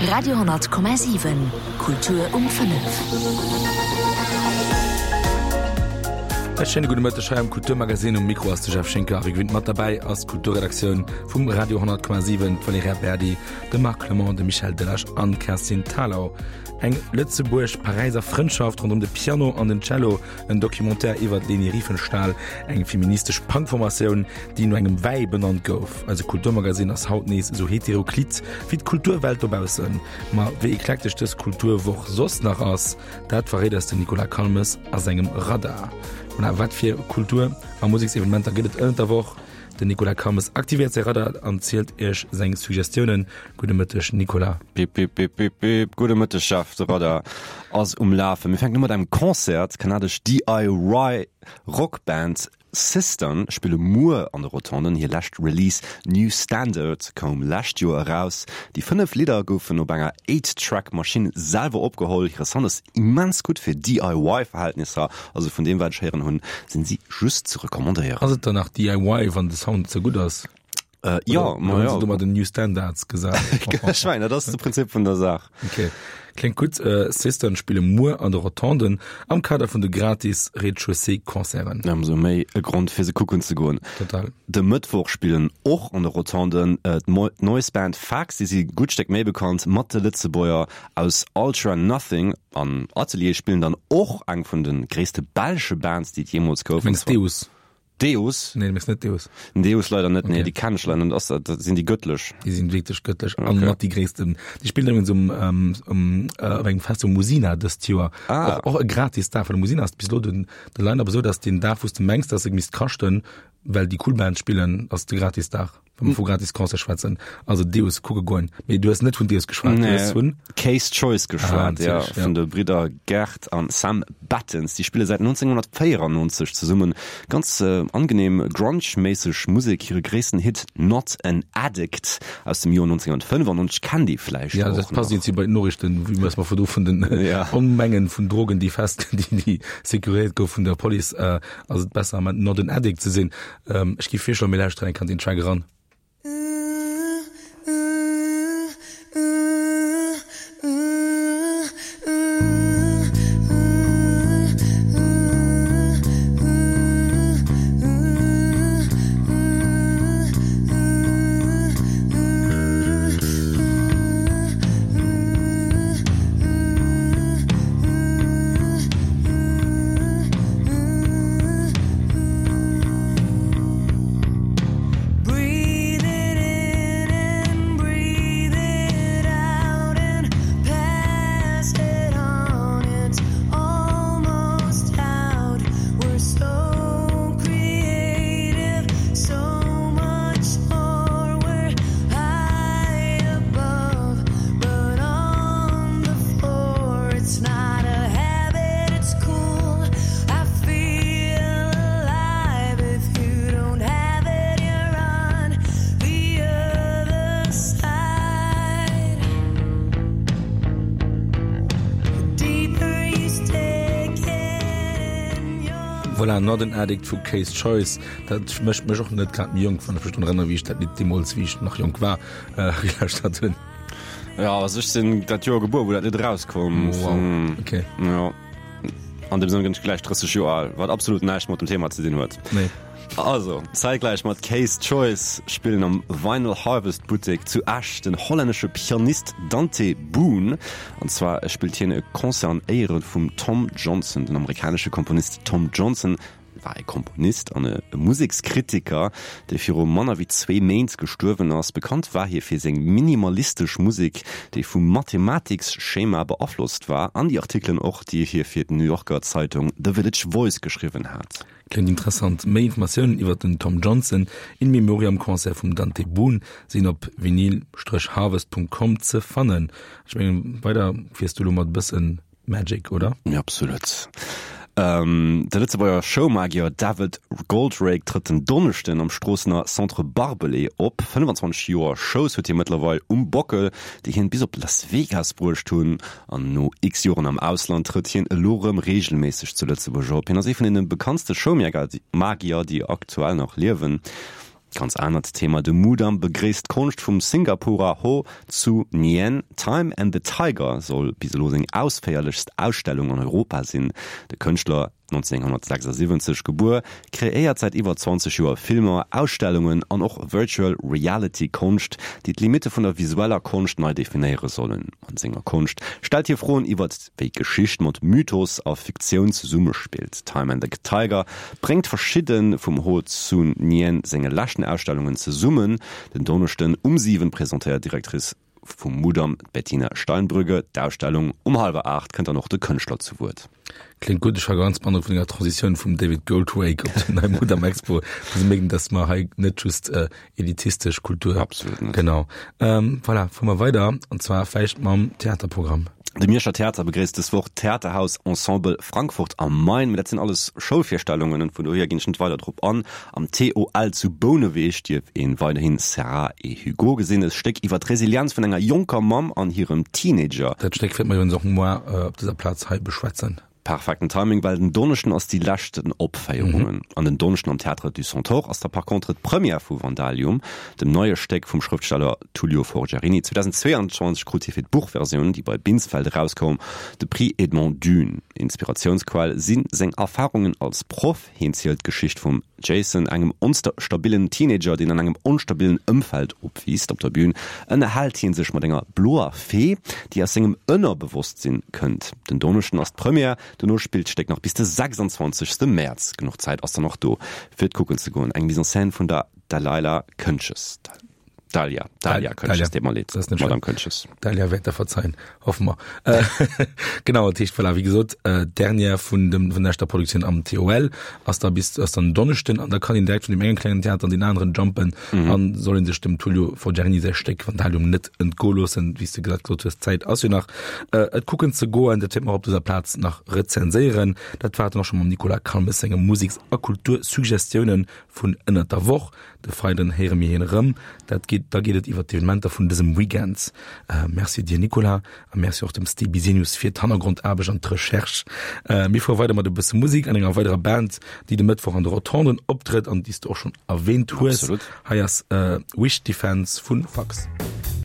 Radio 10,7 Kultur um 5. E schéine gudde Mëtteg hei am Kulturmagazin. Um Mikro ass de Jeff Schinker a wéi gewinnt mat derbäi ass d'Kulturredaktioun vum Radio 10,7, d'Valerija Berdi, de Marc Clement, de Michel Delage an d'Kerstin Thalau. Eng Lëtzebuerg-Paräiser Frëndschaft ronderëm de Piano an den Cello, En Documentaire iwwer d'Leni Riefenstahl, eng feministesch Punkformatioun, déi no engem Wäi benannt gouf. Eise Kulturmagazin ass haut nees esou heteroklit wéi d'Kulturwelt dobaussen. Ma wéi eklektesch dës Kulturwoch soss nach ass, dat verréit eis den Nicolas Calmes a sengem Radar. Voilà, wat fir Kultur a Museksevenementer gëtt et ënnert der Woch? Den Nicolas Calmes aktivéiert säi Radar an zielt iech seng Suggestiounen. Gudde Mëtteg Nicolas. Bip bip bip bip bip. Gudde Mëtteg Jeff, de Radar ass um Lafen. Mir fänken u mat engem Concert. D'kanadesch DIY Rockband Cistern spille muer an de Rotonden. Hir lescht Release New Standard koum lescht Joer eraus. Déi 5 Lidder goufen op enger Eight-Track Maschinn selwer opgeholl. Hire Sound ass immens gutt fir DIY-Verhältnisser, also vun deem wat ech héieren hunn, sinn si just ze recommandéieren. Ass et dann nach DIY wann de Sound ze gutt ass? Äh, ja, ma ja. Du mat den New Standards gesat. Ech mengen, dat ass de Prinzip vun der Saach. Okay. Kléngt gutt. Äh, Cistern spille muer an de Rotonden am Kader vun de gratis Rez-de-chaussée-Concerten. Ëmsou méi e Grond fir se kucken ze goen. Total. De Mëttwoch spillen och an de Rotonden äh, d'Noise Band Fax, déi si gutt Stéck méi bekannt, mat de Lëtzebuerger aus Ultra Nothing an Atelier spillen dann och eng vun de gréisste belsche Bands, déi et jeemools gouf. Mengs Deus? Deus? Nee, du mengs net Deus. Deus leider net, nee, okay. déi kennen ech leider net. Ass dat, dat sinn déi gëttlech? Déi sinn wierklech gëttlech an okay. mat déi gréissten. Déi spillen übrigens um, ähm, um, äh, op engem Fest um Musina dëst Joer. Ah. Och, och e gratis Dag, well Musina ass bis elo den, de Line-Up esou, dass den Dag, wou s de mengs, dass e misst kaschten, well déi cool Bands spillen, ass de gratis Dag. Wa mer vu gratis Concert schwätzen. Also Deus kucke goen. Mee du hues net vun Deus geschwat, du hues vun. Case Choice geschwat, ah, ja, vun de Bridder Gert an Sam Battens. Déi spille säit 1994 zesummen. Ganz äh, angenehm Grunge-méisseg Musek. Hire gréissten Hit Not an Addict aus dem Joer 1995 kennt ee vläicht Ja, dat passt irgendwie bei den Noriichten, wéi mer virdru vun den ja. Onmengen vun Drogen, déi fest, déi, déi securéiert gouf vun der Police, äh, ass et besser, Not an Addict ze sinn. Ähm, ech gi virschloen, mir lauschteren eng Kéier an den Track eran. Voilà, Not an Addict vu Case Choice. Dat mécht mech och net grad méi jonk, wann ech mech drun erënnere wéi ech dat Lidd deemools, wéi ech nach jonk war, gelauschtert hunn. Ja, also ech sinn dat Joer gebuer, wou dat Lidd erauskoum. Wow, okay. Ja. An dem Sënn ginn ech gläich 30 Joer al, wat absolut näischt mat dem Thema ze dinn huet. Nee. Also, zäitgläich mat K's Choice spillen am Vinyl Harvest Buttek zu Esch den hollännesche Pianist Dante Boon. An zwar spillt hien e Concert an Éiere vum Tom Johnson. Den amerikanesche Komponist Tom Johnson war e Komponist an e Musekskritiker, dee viru manner wéi zwee Méint gestuerwen ass. Bekannt war hie fir seng minimalistesch Musek, déi vum Mathematiksschema beaflosst war, an déi Artikelen och, déi hie fir d'New Yorker Zeitung The Village Voice geschriwwen hat. Kléngt interessant. Méi Informatiounen iwwer den Tom Johnson In Memoriam Concert vum Dante Boon sinn op vinyl-harvest.com ze fannen. Ech mengen, weider fiers du elo mat e bëssen Magic, oder? Ja, absolut. Ähm, de Lëtzebuerger Showmagier David Goldrake trëtt den Donneschden am Stroossener Centre Barbelé op. 25 Joer Shows huet hie mëttlerweil um Bockel, déi hien bis op Las Vegas bruecht hunn. An no x Joren am Ausland trëtt hien elo rëm reegelméisseg zu Lëtzebuerg op. Hien ass ee vun deene bekanntste Showmagier, déi aktuell nach liewen. Ganz anert Thema, De Mudam begréisst d'Konscht vum Singapurer Ho Tzu Nien. Time and the Tiger soll bis elo seng ausféierlechst Ausstellung an Europa sinn. De Kënschtler, 1976 gebuer, kreéiert säit iwwer 20 Joer Filmer, Ausstellungen an och Virtual Reality Konscht, déi d'Limitte vun der visueller Konscht nei definéiere sollen. An senger Konscht stellt hie Froen iwwert wéi Geschicht mat Mythos a Fiktioun zesummespillt. Time and the Tiger bréngt verschidde vum Ho Tsun Nien senge leschten Ausstellungen zesummen. Den Donneschden um 7 presentéiert d'Directrice vum Mudam, d'Bettina Steinbrügge, d'Ausstellung. Um hallwer 8 kënnt dann och de Kënschtler zu Wuert. Kléngt gutt. Ech war ganz beandrockt vun denger Transitioun vum David Goldwake op den neie Mudam Expo. Fir ze mierken, dass mer hei net just elitistesch Kultur. Absolut net. Genau. Ähm, voilà, fuere mer weider an zwar vläicht mam Theaterprogramm. De Mierscher Theater begréisst dës Woch d'Theaterhaus Ensemble Frankfurt am Main. Mee dat sinn alles Schoulvirstellungen an vun dohier ginn ech net weider drop an. Am TOL zu Bouneweg dierf een weiderhin Sarah et Hugo gesinn, e Stéck iwwer d'Resilienz vun enger jonker Mamm an hirem Teenager. Dat Stéck wäerte mer iwwerens och muer op dëser Plaz hei beschwätzen. Perfekten Timing, well den Donneschden ass déi leschten Opféierungen. An den Donneschden am Théâtre du Centaure ass da par contre d'Première vu Vandalium, dem neie Stéck vum Schrëftsteller Tullio Forgiarini. 2022 krut hie fir d'Buchversioun, déi bei Binsfeld erauskoum, de Prix Edmond Dune. Inspiratiounsquell si seng Erfarungen als Proff. Hien zielt d'Geschicht vum Jason, engem onstabillen Teenager, deen an engem onstabillen Ëmfeld opwiisst. Op der Bün ënnerhält hie sech mat enger bloer Fee, déi aus sengem Ënnerbewosstsinn kënnt. Den Donneschden ass d'Première, dono spillt d'Stéck nach bis de 26. Mäerz. Genuch Zäit ass dann och do, fir et kucken ze goen. Eng Mise en scène vun der Dalilah Këntges. Dalia, Dalia Këntges, deet mer leed, Madame Këntges. Dalia wäert der verzeien, hoffe mer. Äh, genau, dat heescht, voilà, wéi gesot, äh, d'Dernière vun dem, vun der leschter Produktioun am TOL ass da bis, ass dann Donneschden an da kann een direkt vun deem engen klengen Theater an deen aneren jumpen mhm. an soll een sech dem Tullio Forgiarini säi Stéck Vandalium net entgoe loossen, wéi s de grad gesot hues, d'Zäit ass jo nach, äh, et kucken ze goen, dat wäerte mer op dëser Plaz nach rezenséieren. Dat war et dann och scho mam Nicolas Calmes senge Museks a Kultursuggestiounen vun ënnert der Woch. De Freiden héiere mir hien erëm. Dat geet, da geet et iwwer d'Evenementer vun dësem Weekend. Merci dir Nicolas a Merci och dem Steve Bisenius fir d'Hannergrondaarbecht an d'Recherche. Mir fuere weider mat e bësse Musek an enger weiderer Band, déi de Mëttwoch an de Rotonden optrëtt an déi s de och schonn erwähnt hues. Absolut. Hei ass Wish Defense vu Fax.